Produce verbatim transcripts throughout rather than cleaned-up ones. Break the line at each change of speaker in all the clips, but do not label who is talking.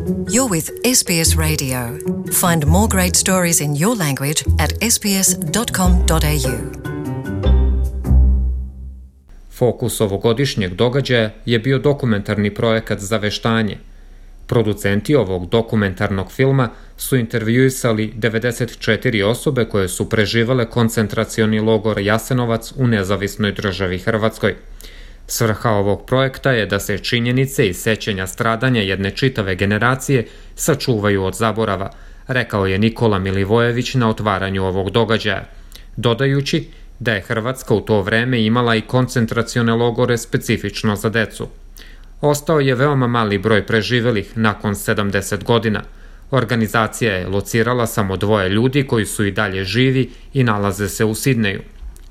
You're with S B S Radio. Find more great stories in your language at s b s dot com dot a u.
Fokus ovogodišnjeg događaja je bio dokumentarni projekat Zaveštanje. Producenti ovog dokumentarnog filma su intervjuisali devedeset četiri osobe koje su preživele koncentracioni logor Jasenovac u nezavisnoj državi Hrvatskoj. Svrha ovog projekta je da se činjenice i sećanja stradanja jedne čitave generacije sačuvaju od zaborava, rekao je Nikola Milivojević na otvaranju ovog događaja, dodajući da je Hrvatska u to vreme imala i koncentracione logore specifično za decu. Ostao je veoma mali broj preživelih nakon sedamdeset godina. Organizacija je locirala samo dvoje ljudi koji su i dalje živi i nalaze se u Sidneju.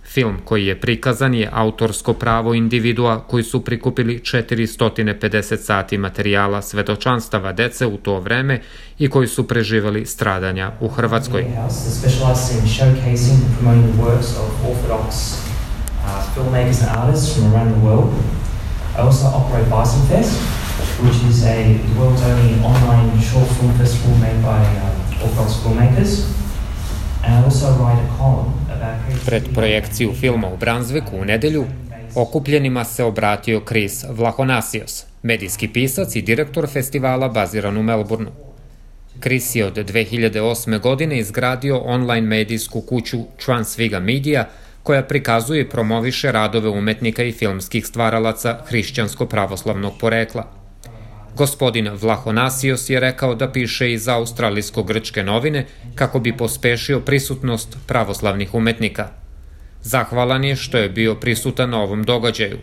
Film koji je prikazan je autorsko pravo individua koji su prikupili četiristo pedeset sati materijala svedočanstava dece u to vreme i koji su preživeli stradanja u Hrvatskoj.
I also operate Bison Fest, which is a the world's only online short film festival made by uh, Orthodox filmmakers. And I also write a column about creativity.
Pred projekciju filma u Brunswicku u nedelju okupljenima se obratio Chris Vlahonasios, medijski pisac i direktor festivala baziran u Melbourneu. Chris je od dve hiljade osme. godine izgradio online medijsku kuću Transviga Media, koja prikazuje i promoviše radove umetnika i filmskih stvaralaca hrišćansko-pravoslavnog porekla. Gospodin Vlahonasios je rekao da piše i za australijsko-grčke novine kako bi pospešio prisutnost pravoslavnih umetnika. Zahvalan je što je bio prisutan na ovom događaju.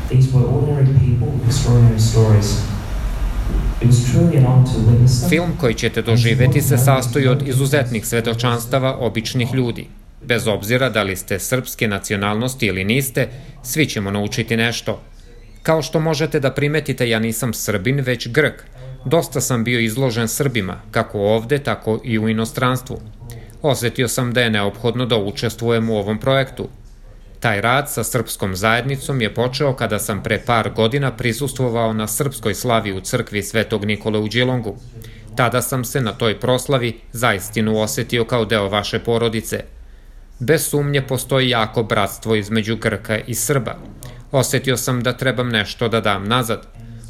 These were ordinary people with extraordinary stories. It was truly an honor to witness them.
Film koji ćete doživeti se sastoji od izuzetnih svedočanstava običnih ljudi. Bez obzira da li ste srpske nacionalnosti ili niste, svi ćemo naučiti nešto. Kao što možete da primetite, ja nisam Srbin, već Grk. Dosta sam bio izložen Srbima, kako ovde, tako i u inostranstvu. Osetio sam da je neophodno da učestvujem u ovom projektu. Taj rad sa srpskom zajednicom je počeo kada sam pre par godina prisustvovao na srpskoj slavi u crkvi Svetog Nikole u Đilongu. Tada sam se na toj proslavi zaistinu osetio kao deo vaše porodice. Bez sumnje postoji jako bratstvo između Grka i Srba. Osetio sam da trebam nešto da dam nazad.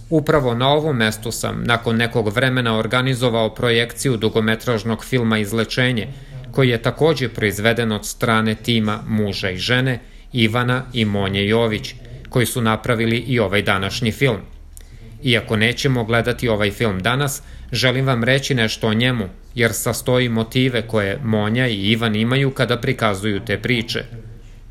Upravo na ovom mestu sam nakon nekog vremena organizovao projekciju dugometražnog filma Izlečenje, koji je takođe proizveden od strane tima muža i žene, Ivana i Monje Jović, koji su napravili i ovaj današnji film. Iako nećemo gledati ovaj film danas, želim vam reći nešto o njemu, jer sastoji motive koje Monja i Ivan imaju kada prikazuju te priče.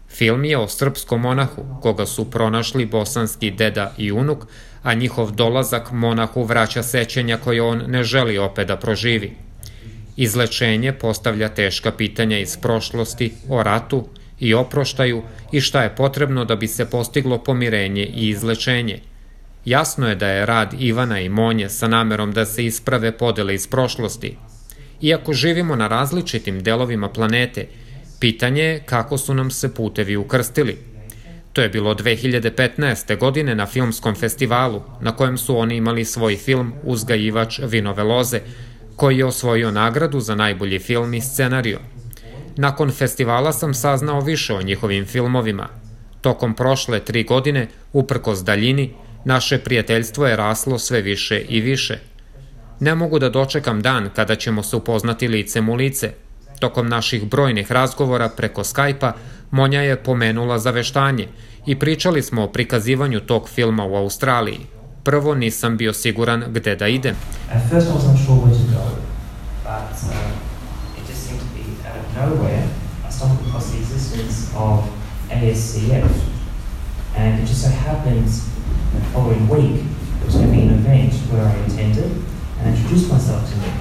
Film je o srpskom monahu, koga su pronašli bosanski deda i unuk, a njihov dolazak monahu vraća sećanja koje on ne želi opet da proživi. Izlečenje postavlja teška pitanja iz prošlosti o ratu i oproštaju i šta je potrebno da bi se postiglo pomirenje i izlečenje. Jasno je da je rad Ivana i Monje sa namerom da se isprave podele iz prošlosti. Iako živimo na različitim delovima planete, pitanje je kako su nam se putevi ukrstili. To je bilo dve hiljade petnaeste. godine na filmskom festivalu, na kojem su oni imali svoj film Uzgajivač vinove loze, koji je osvojio nagradu za najbolji film i scenario. Nakon festivala sam saznao više o njihovim filmovima. Tokom prošle tri godine, uprkos daljini, naše prijateljstvo je raslo sve više i više. Ne mogu da dočekam dan kada ćemo se upoznati licem u lice. Tokom naših brojnih razgovora preko Skype-a, Monja je pomenula Zaveštanje i pričali smo o prikazivanju tog filma u Australiji. Prvo nisam bio siguran gde da idem.
At first I wasn't sure where to go, but uh, it just seemed to be out of nowhere. I stumbled across the existence of A S C F, and it just so happened the following week there was going to be an event where I attended and introduced myself to Nick.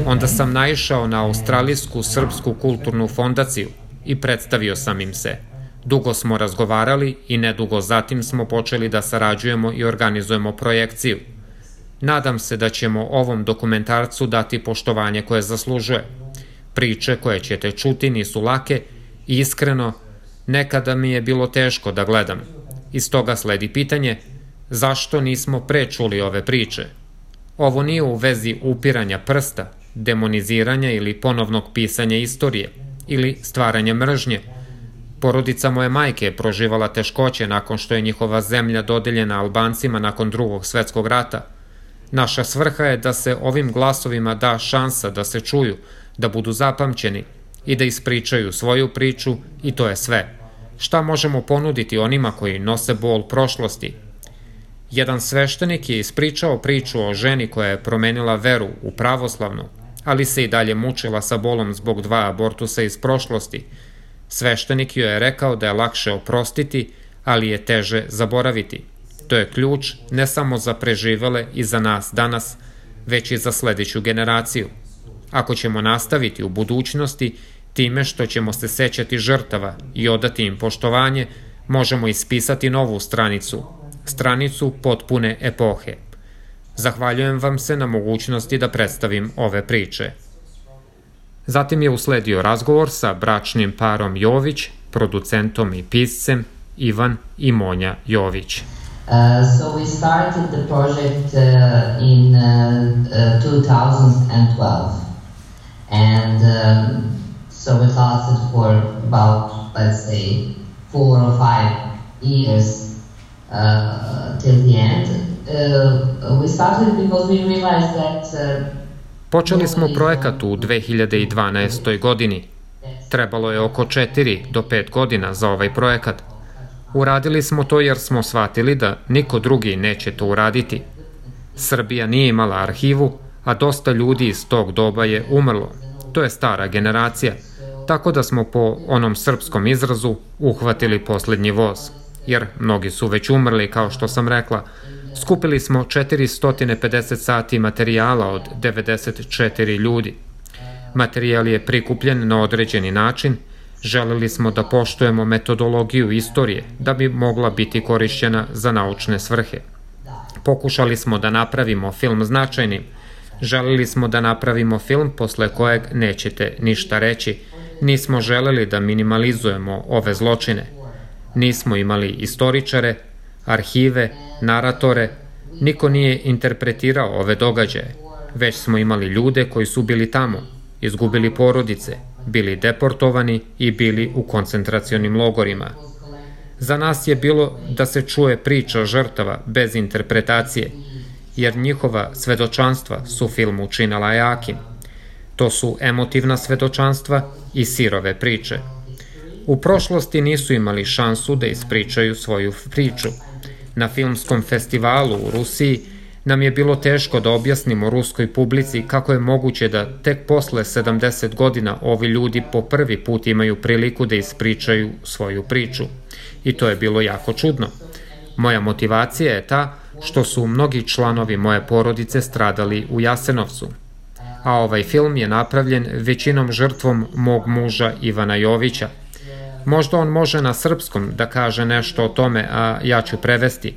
Onda sam naišao na Australijsku srpsku kulturnu fondaciju i predstavio sam im se. Dugo smo razgovarali i nedugo zatim smo počeli da sarađujemo i organizujemo projekciju. Nadam se da ćemo ovom dokumentarcu dati poštovanje koje zaslužuje. Priče koje ćete čuti nisu lake i iskreno, nekada mi je bilo teško da gledam. Iz toga sledi pitanje, zašto nismo pre čuli ove priče? Ovo nije u vezi upiranja prsta, demoniziranja ili ponovnog pisanja istorije, ili stvaranja mržnje. Porodica moje majke je proživala teškoće nakon što je njihova zemlja dodeljena Albancima nakon Drugog svetskog rata. Naša svrha je da se ovim glasovima da šansa da se čuju, da budu zapamćeni i da ispričaju svoju priču i to je sve. Šta možemo ponuditi onima koji nose bol prošlosti? Jedan sveštenik je ispričao priču o ženi koja je promenila veru u pravoslavnu, ali se i dalje mučila sa bolom zbog dva abortusa iz prošlosti. Sveštenik joj je rekao da je lakše oprostiti, ali je teže zaboraviti. To je ključ ne samo za preživele i za nas danas, već i za sledeću generaciju. Ako ćemo nastaviti u budućnosti time što ćemo se sećati žrtava i odati im poštovanje, možemo ispisati novu stranicu, stranicu potpune epohe. Zahvaljujem vam se na mogućnosti da predstavim ove priče. Zatim je usledio razgovor sa bračnim parom Jović, producentom i piscem Ivan i Monja Jović.
Uh, so we started the project uh, in uh, uh, two thousand twelve, and um, so it lasted for about, let's say, four or five years uh, till the end. Uh, we started because we realized that uh,
Počeli smo projekat u dve hiljade dvanaestoj. godini. Trebalo je oko četiri do pet godina za ovaj projekat. Uradili smo to jer smo shvatili da niko drugi neće to uraditi. Srbija nije imala arhivu, a dosta ljudi iz tog doba je umrlo. To je stara generacija, tako da smo po onom srpskom izrazu uhvatili poslednji voz. Jer mnogi su već umrli, kao što sam rekla. Skupili smo četiristo pedeset sati materijala od devedeset četiri ljudi. Materijal je prikupljen na određeni način. Želeli smo da poštujemo metodologiju istorije, da bi mogla biti korišćena za naučne svrhe. Pokušali smo da napravimo film značajnim. Želeli smo da napravimo film posle kojeg nećete ništa reći. Nismo želeli da minimalizujemo ove zločine. Nismo imali istoričare, arhive, naratore, niko nije interpretirao ove događaje, već smo imali ljude koji su bili tamo, izgubili porodice, bili deportovani i bili u koncentracionim logorima. Za nas je bilo da se čuje priča žrtava bez interpretacije, jer njihova svedočanstva su film učinila jakim. To su emotivna svedočanstva i sirove priče. U prošlosti nisu imali šansu da ispričaju svoju priču. Na filmskom festivalu u Rusiji nam je bilo teško da objasnimo ruskoj publici kako je moguće da tek posle sedamdeset godina ovi ljudi po prvi put imaju priliku da ispričaju svoju priču. I to je bilo jako čudno. Moja motivacija je ta što su mnogi članovi moje porodice stradali u Jasenovcu. A ovaj film je napravljen većinom žrtvom mog muža Ivana Jovića. Možda on može na srpskom da kaže nešto o tome, a ja ću prevesti.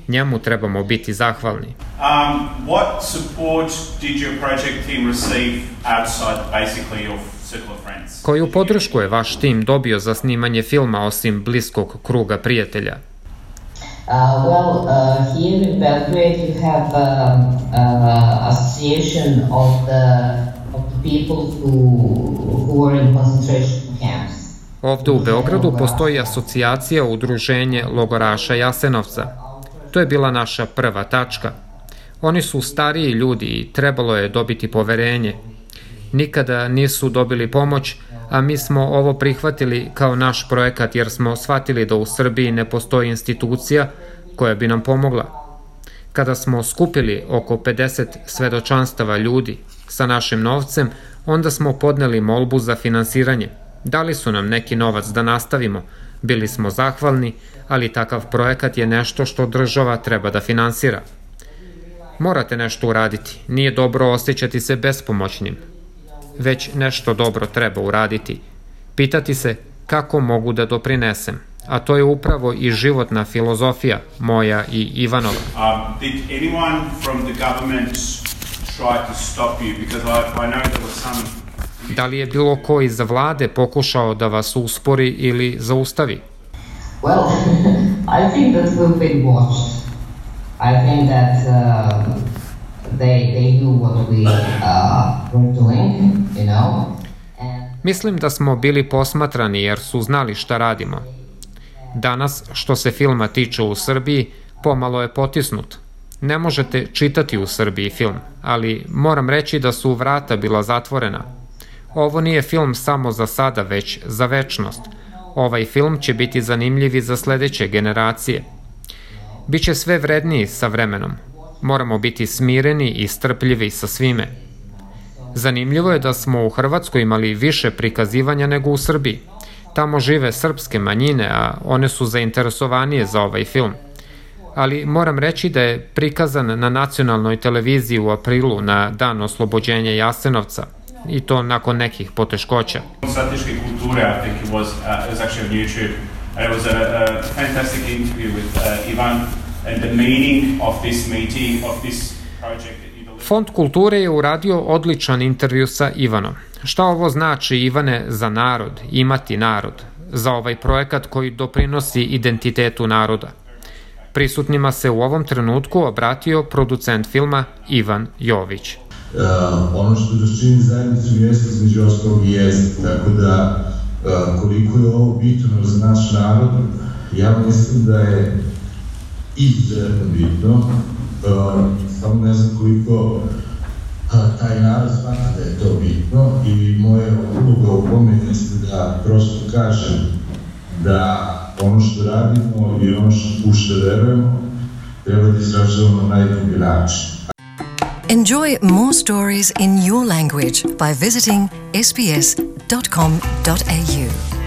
Njemu trebamo biti zahvalni.
Um, what support did your project team receive outside basically your circle of friends?
Koju podršku je vaš tim dobio za snimanje filma osim bliskog kruga prijatelja?
Uh, well, uh, here in Belgrade you have um, uh, association of the, of the people who, who were in concentration camps.
Ovde u Beogradu postoji asocijacija udruženje logoraša Jasenovca. To je bila naša prva tačka. Oni su stariji ljudi i trebalo je dobiti poverenje. Nikada nisu dobili pomoć, a mi smo ovo prihvatili kao naš projekat jer smo shvatili da u Srbiji ne postoji institucija koja bi nam pomogla. Kada smo skupili oko pedeset svedočanstava ljudi sa našim novcem, onda smo podneli molbu za finansiranje. Dali su nam neki novac da nastavimo. Bili smo zahvalni, ali takav projekat je nešto što država treba da finansira. Morate nešto uraditi. Nije dobro osjećati se bespomoćnim. Već nešto dobro treba uraditi. Pitati se kako mogu da doprinesem. A to je upravo i životna filozofija moja i Ivanova.
Um, did anyone from the government try to stop you? Because I, I know there was some
Da li je bilo ko iz vlade pokušao da vas uspori ili zaustavi?
Well, I think that we've been watched. I think that uh, they they knew what we uh, were doing, you know. And
Mislim da smo bili posmatrani jer su znali šta radimo. Danas, što se filma tiče u Srbiji, pomalo je potisnut. Ne možete čitati u Srbiji film, ali moram reći da su vrata bila zatvorena. Ovo nije film samo za sada, već za večnost. Ovaj film će biti zanimljiv i za sledeće generacije. Biće sve vredniji sa vremenom. Moramo biti smireni i strpljivi sa svime. Zanimljivo je da smo u Hrvatskoj imali više prikazivanja nego u Srbiji. Tamo žive srpske manjine, a one su zainteresovanije za ovaj film. Ali moram reći da je prikazan na nacionalnoj televiziji u aprilu na dan oslobođenja Jasenovca, i to nakon nekih poteškoća.
Strateške kulture, I think it was, uh, it was actually on YouTube, and it was a, a fantastic interview with uh, Ivan and the meaning of this meeting, of this project.
Fond kulture je uradio odličan intervju sa Ivanom. Šta ovo znači, Ivane, za narod, imati narod, za ovaj projekat koji doprinosi identitetu naroda? Prisutnima se u ovom trenutku obratio producent filma Ivan Jović.
Uh, ono što nas čini zajednicu jeste između ostalog i jezik, tako da uh, koliko je ovo bitno za naš narod, ja mislim da je izuzetno bitno, uh, samo ne znam koliko uh, taj narod smatra da je to bitno i moja uloga u tome jeste da prosto kažem da ono što radimo i ono što, u što verujemo treba da izražavamo na najbolji način.
Enjoy more stories in your language by visiting s b s dot com dot a u.